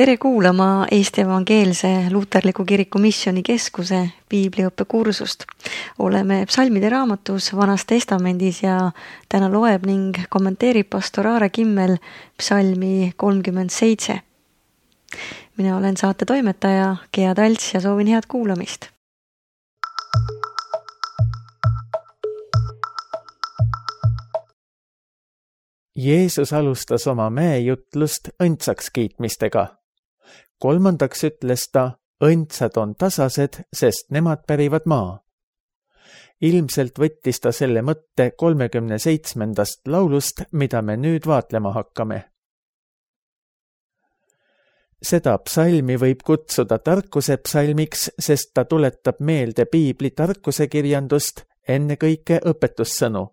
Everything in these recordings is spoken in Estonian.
Tere kuulama Eesti Evangeelse Luterliku Kiriku Missioonikeskuse piibliõppekursust. Oleme psalmide raamatus Vanas Testamendis ja täna loeb ning kommenteerib pastor Aare Kimmel psalmi 37. Mina olen saate toimetaja Gea Talts ja soovin head kuulamist. Jeesus alustas oma mäejutlust õndsaks kiitmistega. Kolmandaks ütles ta, õndsad on tasased, sest nemad pärivad maa. Ilmselt võttis ta selle mõtte 37. laulust, mida me nüüd vaatlema hakkame. Seda psalmi võib kutsuda tarkuse psalmiks, sest ta tuletab meelde piibli tarkusekirjandust, ennekõike õpetussõnu.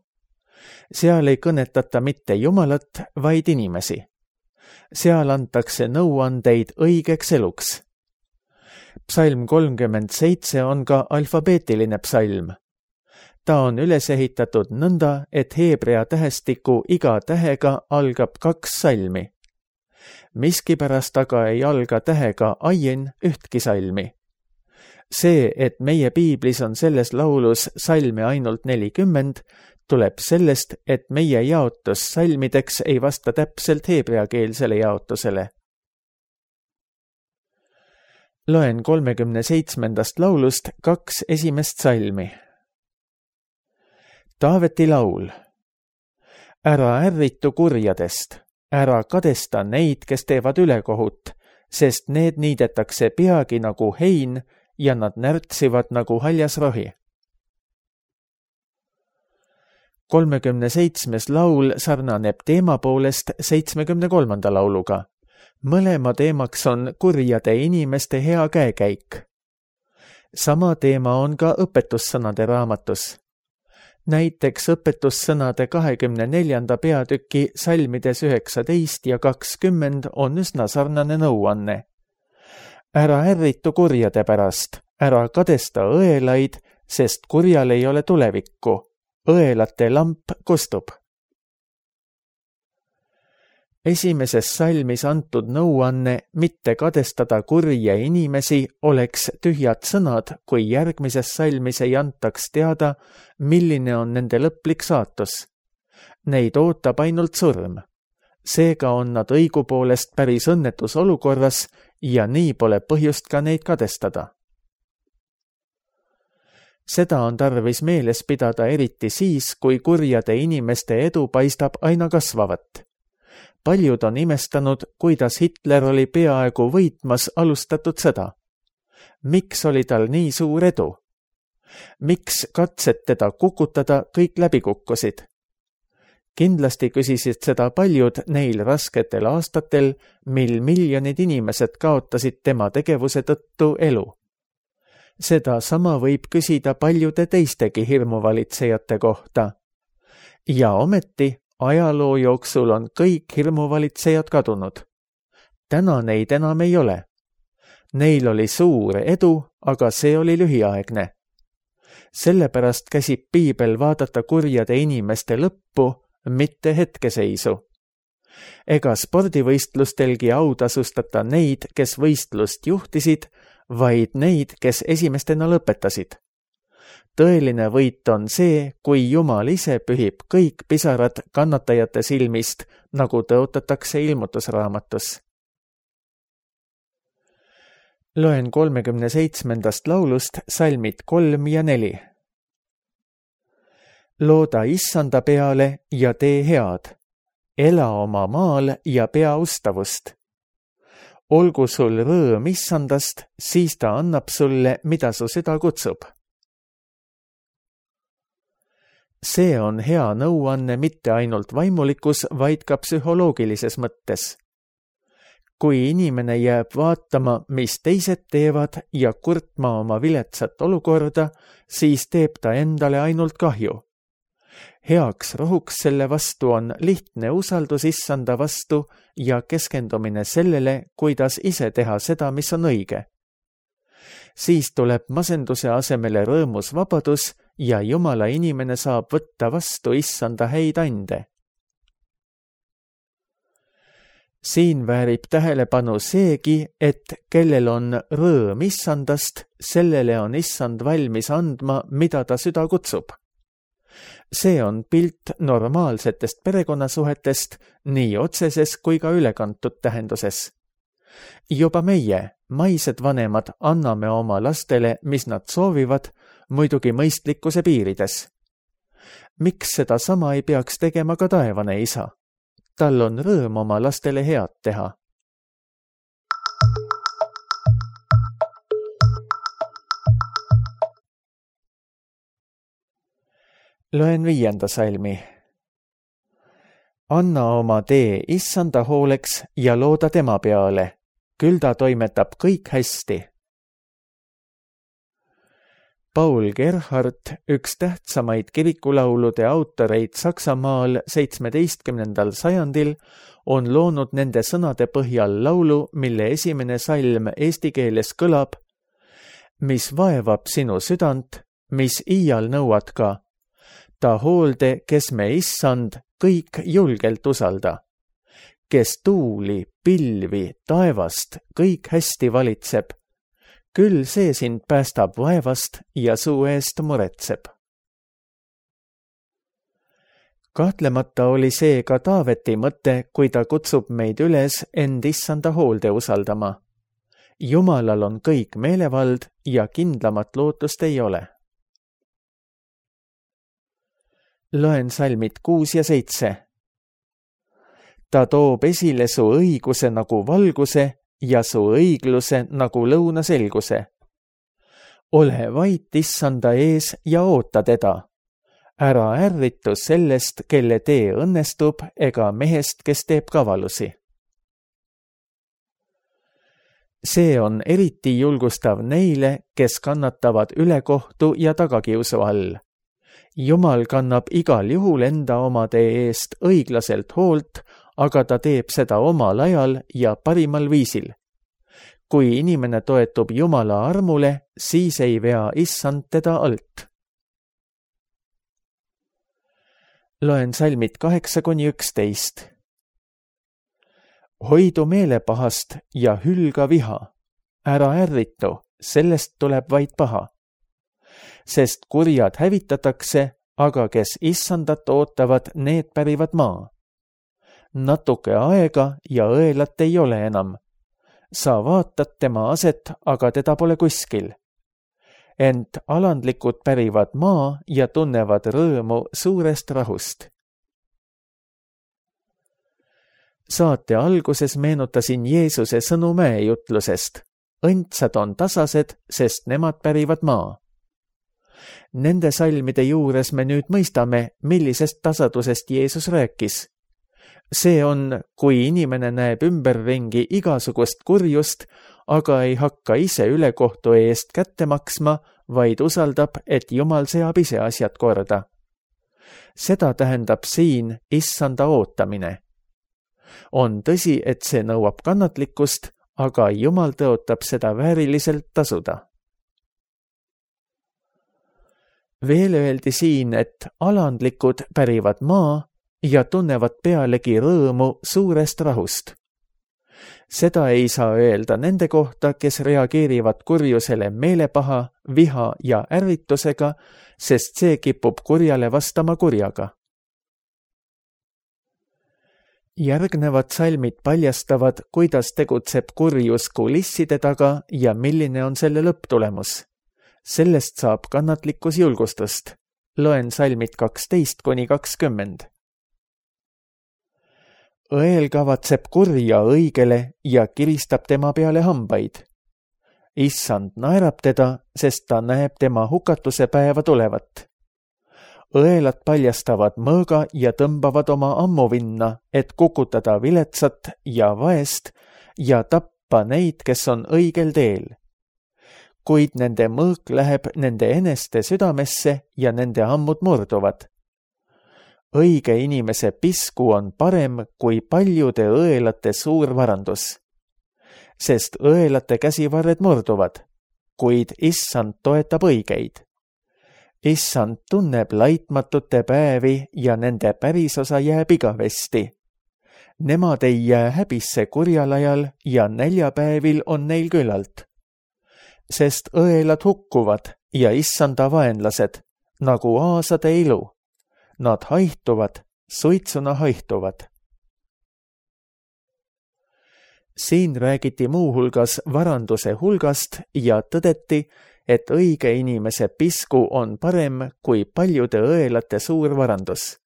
Seal ei kõnetata mitte Jumalat, vaid inimesi. Seal antakse nõuandeid õigeks eluks. Psalm 37 on ka alfabeetiline psalm. Ta on üles ehitatud nõnda, et heebrea tähestiku iga tähega algab 2 salmi. Miskipärast aga ei alga tähega aien ühtki salmi. See, et meie piiblis on selles laulus salme ainult 40, tuleb sellest, et meie jaotus salmideks ei vasta täpselt heebreakeelsele jaotusele. Loen 37. laulust 2 esimest salmi. Taaveti laul. Ära ärritu kurjadest, ära kadesta neid, kes teevad ülekohut, sest need niidetakse peagi nagu hein ja nad närtsivad nagu haljas rohi. 37. laul sarnaneb teema poolest 73. lauluga. Mõlema teemaks on kurjade inimeste hea käekäik. Sama teema on ka õpetussõnade raamatus. Näiteks õpetussõnade 24. peatüki salmides 19 ja 20 on üsna sarnane nõuanne. Ära ärritu kurjade pärast, ära kadesta õelaid, sest kurjal ei ole tulevikku. Õelate lamp kustub. Esimeses salmis antud nõuanne mitte kadestada kurje inimesi oleks tühjad sõnad, kui järgmises salmis ei antaks teada, milline on nende lõplik saatus. Neid ootab ainult surm. Seega on nad õigupoolest päris õnnetus olukorras ja nii pole põhjust ka neid kadestada. Seda on tarvis meeles pidada eriti siis, kui kurjade inimeste edu paistab aina kasvavat. Paljud on imestanud, kuidas Hitler oli peaaegu võitmas alustatud sõda. Miks oli tal nii suur edu? Miks katsed teda kukutada kõik läbi kukkusid? Kindlasti küsisid seda paljud neil rasketel aastatel, mil miljonid inimesed kaotasid tema tegevuse tõttu elu. Seda sama võib küsida paljude teistegi hirmuvalitsejate kohta. Ja ometi ajaloo jooksul on kõik hirmuvalitsejad kadunud. Täna neid enam ei ole. Neil oli suur edu, aga see oli lühiaegne. Sellepärast käsib piibel vaadata kurjade inimeste lõppu, mitte hetkeseisu. Ega spordivõistlustelgi autasustata neid, kes võistlust juhtisid, vaid neid, kes esimestena lõpetasid. Tõeline võit on see, kui Jumal ise pühib kõik pisarad kannatajate silmist, nagu tõotatakse ilmutusraamatus. Loen 37. laulust salmid 3 ja 4. Looda Issanda peale ja tee head. Ela oma maal ja pea ustavust. Olgu sul rõõm Issandast, siis ta annab sulle, mida su süda kutsub. See on hea nõuanne mitte ainult vaimulikus, vaid ka psühholoogilises mõttes. Kui inimene jääb vaatama, mis teised teevad ja kurtma oma viletsat olukorda, siis teeb ta endale ainult kahju. Heaks rohuks selle vastu on lihtne usaldus Issanda vastu ja keskendumine sellele, kuidas ise teha seda, mis on õige. Siis tuleb masenduse asemele rõõmus vabadus ja Jumala inimene saab võtta vastu Issanda häid ande. Siin väärib tähelepanu seegi, et kellel on rõõm issandast, sellele on issand valmis andma, mida ta süda kutsub. See on pilt normaalsetest perekonnasuhetest nii otseses kui ka ülekantud tähenduses. Juba meie, maised vanemad, anname oma lastele, mis nad soovivad, muidugi mõistlikkuse piirides. Miks seda sama ei peaks tegema ka taevane isa? Tal on rõõm oma lastele head teha. Loen 5. salmi. Anna oma tee issanda hooleks ja looda tema peale. Küll ta toimetab kõik hästi. Paul Gerhardt, üks tähtsamaid kirikulaulude autoreid Saksamaal 17. sajandil, on loonud nende sõnade põhjal laulu, mille esimene salm eesti keeles kõlab: mis vaevab sinu südant, mis iial nõuad ka. Ta hoolde, kes me issand, kõik julgelt usalda. Kes tuuli, pilvi, taevast, kõik hästi valitseb. Küll see sind päästab vaevast ja suu eest muretseb. Kahtlemata oli see ka Taaveti mõte, kui ta kutsub meid üles end issanda hoolde usaldama. Jumalal on kõik meelevald ja kindlamat lootust ei ole. Loen salmid 6 ja 7. Ta toob esile su õiguse nagu valguse ja su õigluse nagu lõuna selguse. Ole vait issanda ees ja oota teda. Ära ärritu sellest, kelle tee õnnestub, ega mehest, kes teeb kavalusi. See on eriti julgustav neile, kes kannatavad ülekohtu ja tagakiusu all. Jumal kannab igal juhul enda omade eest õiglaselt hoolt, aga ta teeb seda omal ajal ja parimal viisil. Kui inimene toetub Jumala armule, siis ei vea issand teda alt. Loen salmid 8-11. Hoidu meelepahast ja hülga viha. Ära ärritu, sellest tuleb vaid paha. Sest kurjad hävitatakse, aga kes issandat ootavad, need pärivad maa. Natuke aega ja õelat ei ole enam. Sa vaatad tema aset, aga teda pole kuskil. Ent alandlikud pärivad maa ja tunnevad rõõmu suurest rahust. Saate alguses meenutasin Jeesuse sõnu mäejutlusest. Õndsad on tasased, sest nemad pärivad maa. Nende salmide juures me nüüd mõistame, millisest tasadusest Jeesus rääkis. See on, kui inimene näeb ümberringi igasugust kurjust, aga ei hakka ise ülekohtu eest kätte maksma, vaid usaldab, et Jumal seab ise asjad korda. Seda tähendab siin issanda ootamine. On tõsi, et see nõuab kannatlikkust, aga Jumal tõotab seda vääriliselt tasuda. Veel öeldi siin, et alandlikud pärivad maa ja tunnevad pealegi rõõmu suurest rahust. Seda ei saa öelda nende kohta, kes reageerivad kurjusele meelepaha, viha ja ärritusega, sest see kipub kurjale vastama kurjaga. Järgnevad salmid paljastavad, kuidas tegutseb kurjus kulisside taga ja milline on selle lõpptulemus. Sellest saab kannatlikkus julgustust. Loen salmid 12-20. Õel kavatseb kurja õigele ja kiristab tema peale hambaid. Issand naerab teda, sest ta näeb tema hukatuse päeva tulevat. Õelad paljastavad mõõga ja tõmbavad oma ammuvinna, et kukutada viletsat ja vaest ja tappa neid, kes on õigel teel. Kuid nende mõõk läheb nende eneste südamesse ja nende ammud murduvad. Õige inimese pisku on parem kui paljude õelate suur varandus. Sest õelate käsivarred murduvad, kuid issand toetab õigeid. Issand tunneb laitmatute päevi ja nende pärisosa jääb igavesti. Nemad ei jää häbisse kurjal ajal ja näljapäevil on neil küllalt. Sest õelad hukkuvad ja issanda vaenlased, nagu aasade ilu. Nad haihtuvad, suitsuna haihtuvad. Siin räägiti muuhulgas varanduse hulgast ja tõdeti, et õige inimese pisku on parem kui paljude õelate suur varandus.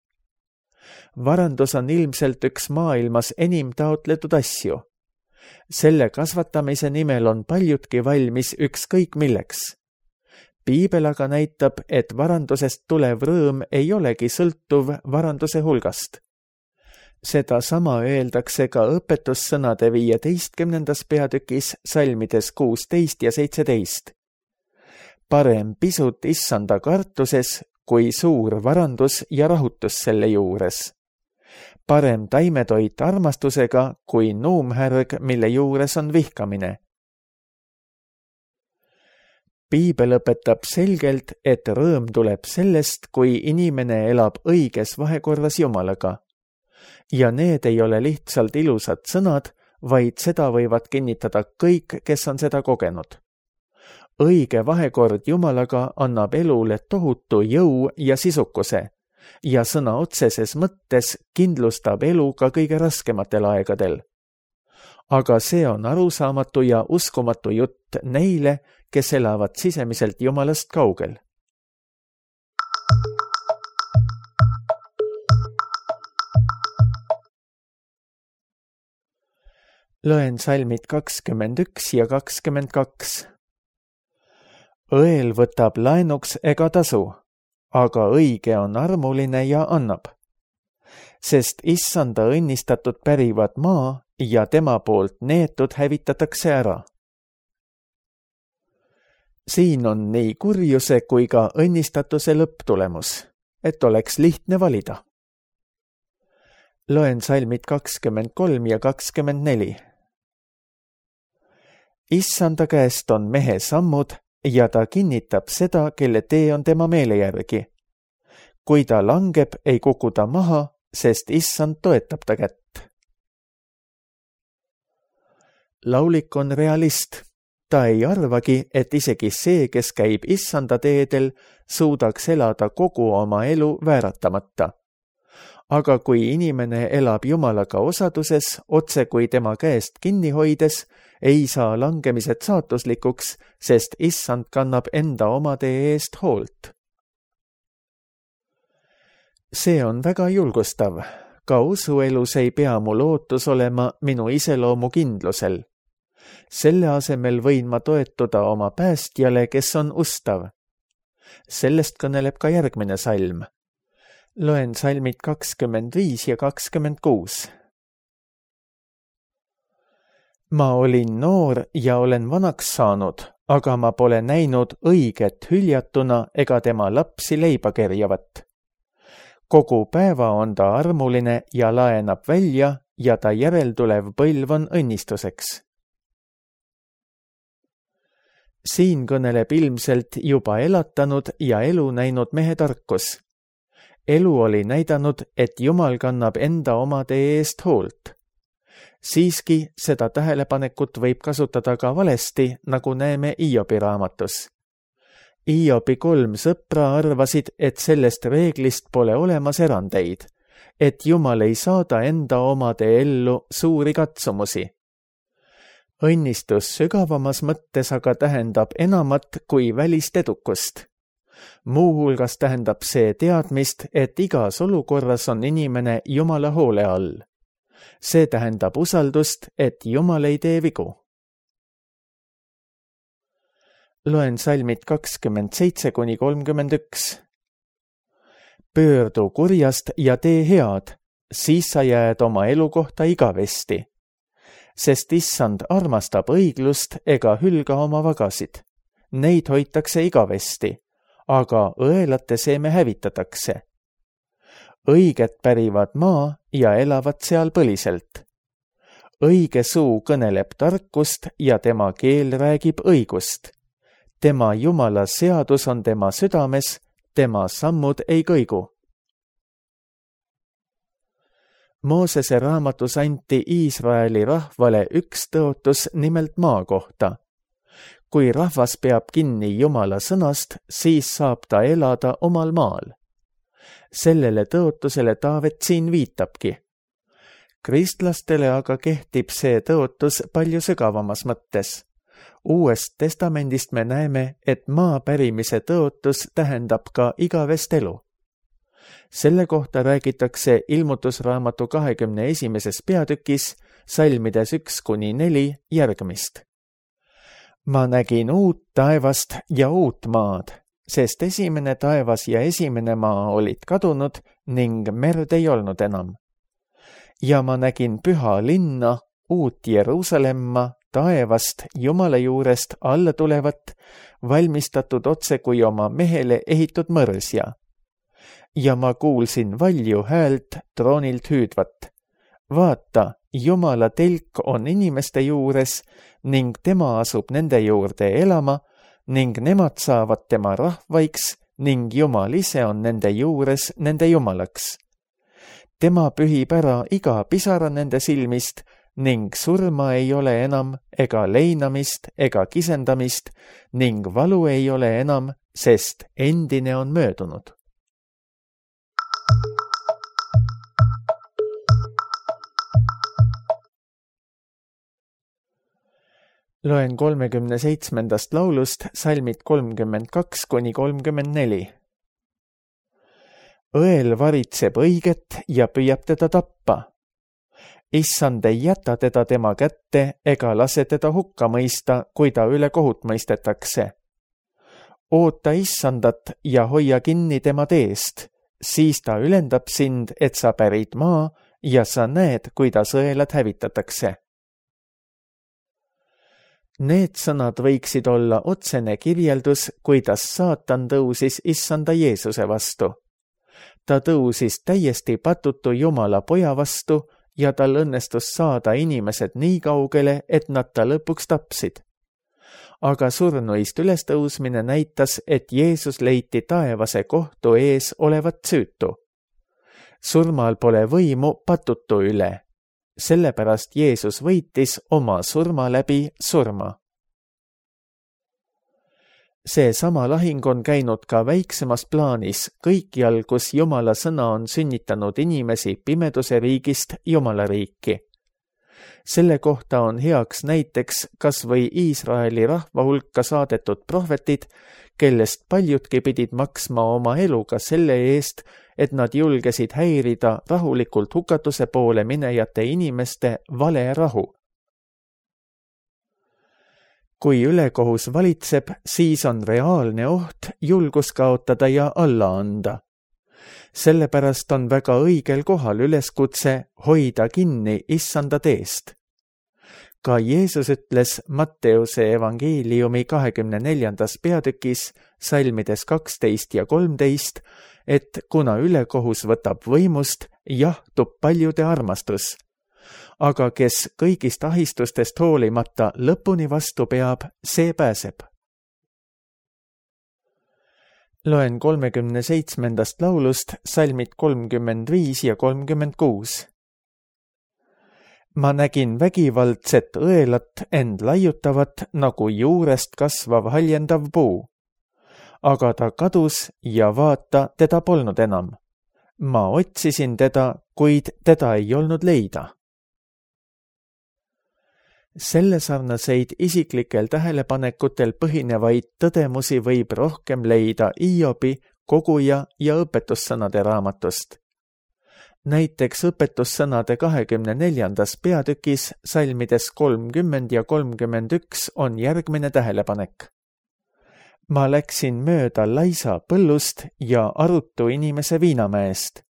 Varandus on ilmselt üks maailmas enim taotletud asju. Selle kasvatamise nimel on paljudki valmis ükskõik milleks. Piibel aga näitab, et varandusest tulev rõõm ei olegi sõltuv varanduse hulgast. Seda sama öeldakse ka õpetussõnade 15. peatükis salmides 16 ja 17. Parem pisut issanda kartuses, kui suur varandus ja rahutus selle juures. Parem taimetoit armastusega, kui nuumhärg, mille juures on vihkamine. Piibel õpetab selgelt, et rõõm tuleb sellest, kui inimene elab õiges vahekorras Jumalaga. Ja need ei ole lihtsalt ilusad sõnad, vaid seda võivad kinnitada kõik, kes on seda kogenud. Õige vahekord Jumalaga annab elule tohutu jõu ja sisukuse ja sõna otseses mõttes kindlustab elu ka kõige raskematel aegadel. Aga see on arusaamatu ja uskumatu jutt neile, kes elavad sisemiselt Jumalast kaugel. Loen salmid 21 ja 22. Õel võtab laenuks ega tasu, aga õige on armuline ja annab. Sest issanda õnnistatud pärivad maa ja tema poolt neetud hävitatakse ära. Siin on nii kurjuse kui ka õnnistatuse lõpptulemus, et oleks lihtne valida. Loen salmid 23 ja 24. Issanda käest on mehe sammud ja ta kinnitab seda, kelle tee on tema meele järgi. Kui ta langeb, ei kuku ta maha, sest issand toetab ta kätt. Laulik on realist. Ta ei arvagi, et isegi see, kes käib issanda teedel, suudaks elada kogu oma elu vääratamata. Aga kui inimene elab Jumalaga osaduses, otse kui tema käest kinni hoides, ei saa langemised saatuslikuks, sest issand kannab enda omade eest hoolt. See on väga julgustav. Ka usuelus ei pea mu lootus olema minu iseloomu kindlusel. Selle asemel võin ma toetuda oma päästjale, kes on ustav. Sellest kõneleb ka järgmine salm. Loen salmid 25 ja 26. Ma olin noor ja olen vanaks saanud, aga ma pole näinud õiget hüljatuna ega tema lapsi leiba kerjavat. Kogu päeva on ta armuline ja laenab välja ja ta järeltulev põlv on õnnistuseks. Siin kõneleb ilmselt juba elatanud ja elu näinud mehe tarkus. Elu oli näidanud, et Jumal kannab enda omade eest hoolt. Siiski seda tähelepanekut võib kasutada ka valesti, nagu näeme Hiobi raamatus. Hiobi 3 sõpra arvasid, et sellest reeglist pole olemas erandeid, et Jumal ei saada enda omade ellu suuri katsumusi. Õnnistus sügavamas mõttes aga tähendab enamat kui välist edukust. Muuhulgas tähendab see teadmist, et igas olukorras on inimene Jumala hoole all. See tähendab usaldust, et Jumal ei tee vigu. Loen salmid 27-31. Pöördu kurjast ja tee head, siis sa jääd oma elukohta igavesti. Sest issand armastab õiglust ega hülga oma vagasid. Neid hoitakse igavesti, aga õelate seeme hävitatakse. Õiged pärivad maa ja elavad seal põliselt. Õige suu kõneleb tarkust ja tema keel räägib õigust. Tema Jumala seadus on tema südames, tema sammud ei kõigu. Moosese raamatus anti Iisraeli rahvale üks tõotus nimelt maa kohta. Kui rahvas peab kinni Jumala sõnast, siis saab ta elada omal maal. Sellele tõotusele Taavet siin viitabki. Kristlastele aga kehtib see tõotus palju sügavamas mõttes. Uuest testamendist me näeme, et maa pärimise tõotus tähendab ka igavest elu. Selle kohta räägitakse Ilmutusraamatu 21. peatükis, salmides 1-4 järgmist. Ma nägin uut taevast ja uut maad, sest esimene taevas ja esimene maa olid kadunud ning merd ei olnud enam. Ja ma nägin püha linna, uut Jeruusalemma, taevast Jumala juurest alla tulevat, valmistatud otse kui oma mehele ehitud mõrsja. Ja ma kuulsin valju häält troonilt hüüdvat. Vaata, Jumala telk on inimeste juures ning tema asub nende juurde elama ning nemad saavad tema rahvaiks ning Jumal ise on nende juures nende Jumalaks. Tema pühib ära iga pisara nende silmist ning surma ei ole enam ega leinamist ega kisendamist ning valu ei ole enam, sest endine on möödunud. Loen 37. laulust salmid 32-34. Õel varitseb õiget ja püüab teda tappa. Issand ei jäta teda tema kätte ega lase teda hukka mõista, kui ta üle kohut mõistetakse. Oota Issandat ja hoia kinni tema teest, siis ta ülendab sind, et sa pärid maa ja sa näed, kuidas õelad hävitatakse. Need sõnad võiksid olla otsene kirjeldus, kuidas saatan tõusis Issanda Jeesuse vastu. Ta tõusis täiesti patutu Jumala poja vastu ja tal õnnestus saada inimesed nii kaugele, et nad ta lõpuks tapsid. Aga surnuist ülestõusmine näitas, et Jeesus leiti taevase kohtu ees olevat süütu. Surmal pole võimu patutu üle. Sellepärast Jeesus võitis oma surma läbi surma. See sama lahing on käinud ka väiksemas plaanis kõikjal, kus Jumala sõna on sünnitanud inimesi pimeduse riigist Jumala riiki. Selle kohta on heaks näiteks kas või Iisraeli rahva hulka saadetud prohvetid, kellest paljudki pidid maksma oma eluga selle eest, et nad julgesid häirida rahulikult hukatuse poole minejate inimeste vale rahu. Kui ülekohus valitseb, siis on reaalne oht julgus kaotada ja alla anda. Sellepärast on väga õigel kohal üleskutse hoida kinni Issanda teest. Ka Jeesus ütles Matteuse evangeeliumi 24. peatükis, salmides 12 ja 13, et kuna ülekohus võtab võimust, jahtub paljude armastus. Aga kes kõigist ahistustest hoolimata lõpuni vastu peab, see pääseb. Loen 37. laulust salmid 35 ja 36. Ma nägin vägivaldset õelat end laiutavat nagu juurest kasvav haljendav puu. Aga ta kadus ja vaata, teda polnud enam. Ma otsisin teda, kuid teda ei olnud leida. Selle sarnaseid isiklikel tähelepanekutel põhinevaid tõdemusi võib rohkem leida Iobi, koguja ja õpetussõnade raamatust. Näiteks õpetussõnade 24. peatükis salmides 30 ja 31 on järgmine tähelepanek. Ma läksin mööda laisa põllust ja arutu inimese viinamäest.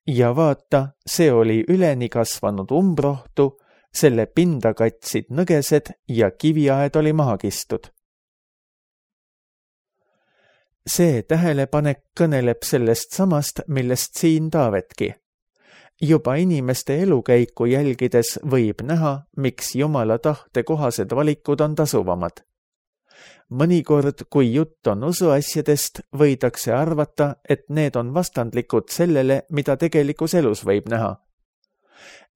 Ja vaata, see oli üleni kasvanud umbrohtu, selle pinda katsid nõgesed ja kiviaed oli maha kistud. See tähelepanek kõneleb sellest samast, millest siin Taavetki. Juba inimeste elukäiku jälgides võib näha, miks Jumala tahte kohased valikud on tasuvamad. Mõnikord, kui jutt on usuasjadest, võidakse arvata, et need on vastandlikud sellele, mida tegelikus elus võib näha.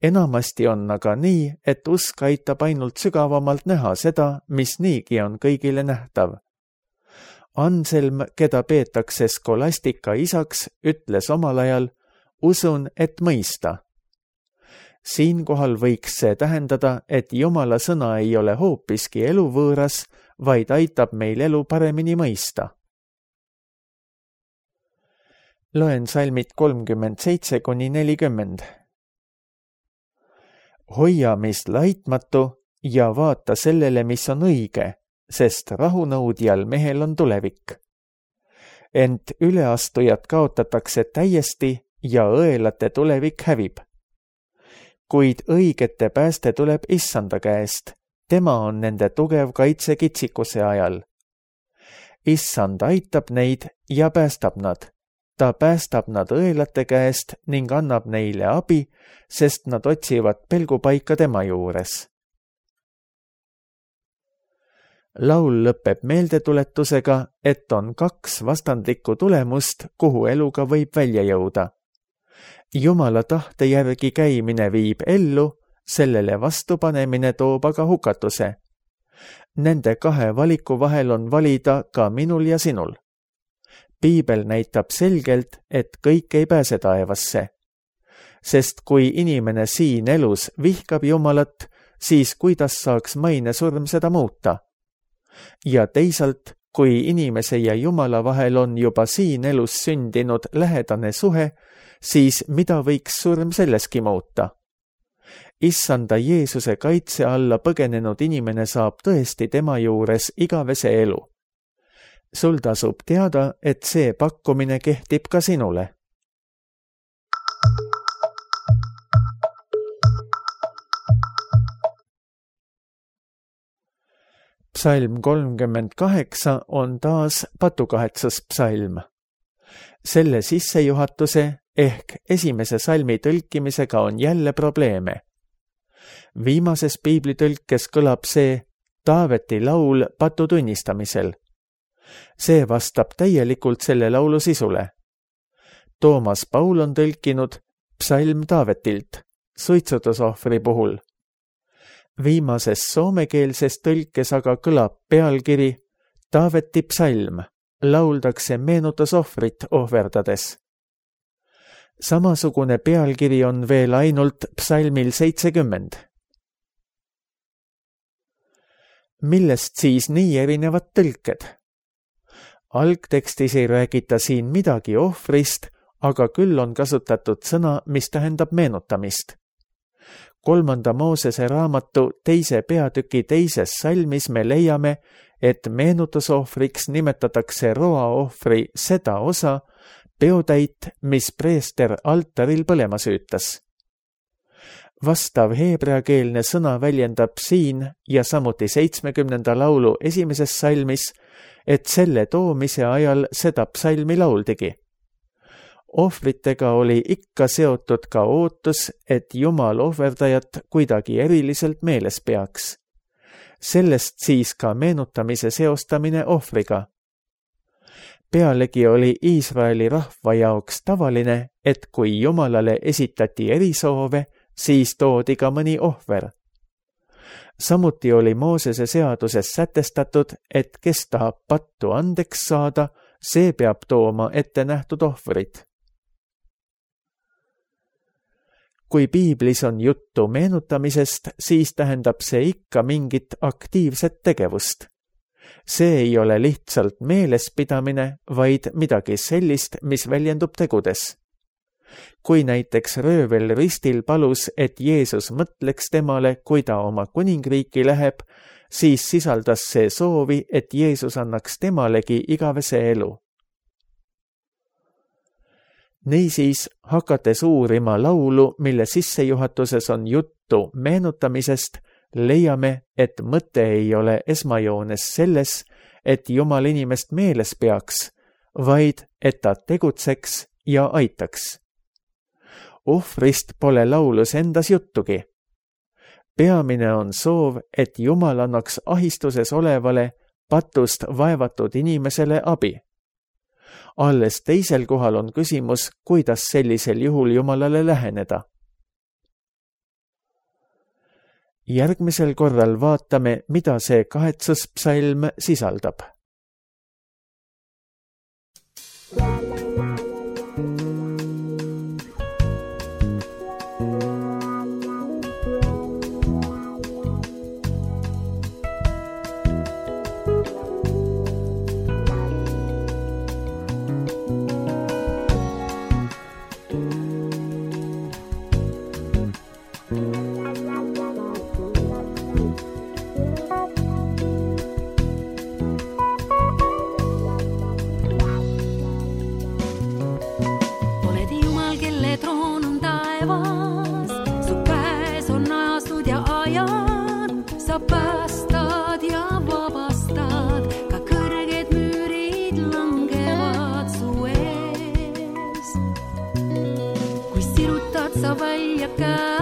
enamasti on aga nii, et usk aitab ainult sügavamalt näha seda, mis niigi on kõigile nähtav. Anselm, keda peetakse skolastika isaks, ütles omal ajal, usun, et mõista. Siinkohal võiks see tähendada, et Jumala sõna ei ole hoopiski eluvõõras, vaid aitab meil elu paremini mõista. Loen salmid 37–40. Hoia meist laitmatu ja vaata sellele, mis on õige, sest rahunõudjal mehel on tulevik. Ent üleastujad kaotatakse täiesti ja õelate tulevik hävib. Kuid õigete pääste tuleb Issanda käest, tema on nende tugev kaitse kitsikuse ajal. Issand aitab neid ja päästab nad. Ta päästab nad õelate käest ning annab neile abi, sest nad otsivad pelgupaika tema juures. Laul lõpeb meeldetuletusega, et on 2 vastandlikku tulemust, kuhu eluga võib välja jõuda. Jumala tahte järgi käimine viib ellu, sellele vastupanemine toob aga hukatuse. Nende 2 valiku vahel on valida ka minul ja sinul. Piibel näitab selgelt, et kõik ei pääse taevasse. Sest kui inimene siin elus vihkab Jumalat, siis kuidas saaks mainesurm seda muuta? Ja teisalt, kui inimese ja Jumala vahel on juba siin elus sündinud lähedane suhe, siis mida võiks surm selleski muuta? Issanda Jeesuse kaitse alla põgenenud inimene saab tõesti tema juures igavese elu. Sul tasub teada, et see pakkumine kehtib ka sinule. Psalm 38 on taas patukahetsluspsalm. Selle sissejuhatuse ehk esimese salmi tõlkimisega on jälle probleeme. Viimases piiblitõlkes kõlab see Taaveti laul patu tunnistamisel. See vastab täielikult selle laulu sisule. Toomas Paul on tõlkinud psalm Taavetilt, suitsutusohvri puhul. Viimases soomekeelses tõlkes aga kõlab pealkiri Taaveti psalm, lauldakse meenutusohvrit ohverdades. Samasugune pealkiri on veel ainult psalmil 70. Millest siis nii erinevad tõlked? Algtekstis ei räägita siin midagi ohvrist, aga küll on kasutatud sõna, mis tähendab meenutamist. 3. Moosese raamatu 2. peatüki 2. salmis me leiame, et meenutusohvriks nimetatakse roaohvri seda osa, peotäit, mis preester altaril põlema süütas. Vastav heebreakeelne sõna väljendab siin ja samuti 70. laulu 1. salmis, et selle toomise ajal seda psalmi lauldigi. Ohvritega oli ikka seotud ka ootus, et Jumal ohverdajat kuidagi eriliselt meeles peaks. Sellest siis ka meenutamise seostamine ohvriga. Pealegi oli Iisraeli rahva jaoks tavaline, et kui Jumalale esitati erisoove, siis toodi ka mõni ohver. Samuti oli Moosese seaduses sätestatud, et kes tahab pattu andeks saada, see peab tooma ette nähtud ohvrid. Kui piiblis on juttu meenutamisest, siis tähendab see ikka mingit aktiivset tegevust. See ei ole lihtsalt meelespidamine, vaid midagi sellist, mis väljendub tegudes. Kui näiteks röövel ristil palus, et Jeesus mõtleks temale, kui ta oma kuningriiki läheb, siis sisaldas see soovi, et Jeesus annaks temalegi igavese elu. Niisiis, hakates uurima laulu, mille sissejuhatuses on juttu meenutamisest, leiame, et mõte ei ole esmajoones selles, et Jumal inimest meeles peaks, vaid et ta tegutseks ja aitaks. Ohvrist pole laulus endas juttugi. Peamine on soov, et Jumal annaks ahistuses olevale patust vaevatud inimesele abi. Alles teisel kohal on küsimus, kuidas sellisel juhul Jumalale läheneda. Järgmisel korral vaatame, mida see 8. psalm sisaldab. Sa päästad ja vabastad, ka kõrged müürid langevad su ees. Kui sirutad sa välja käe,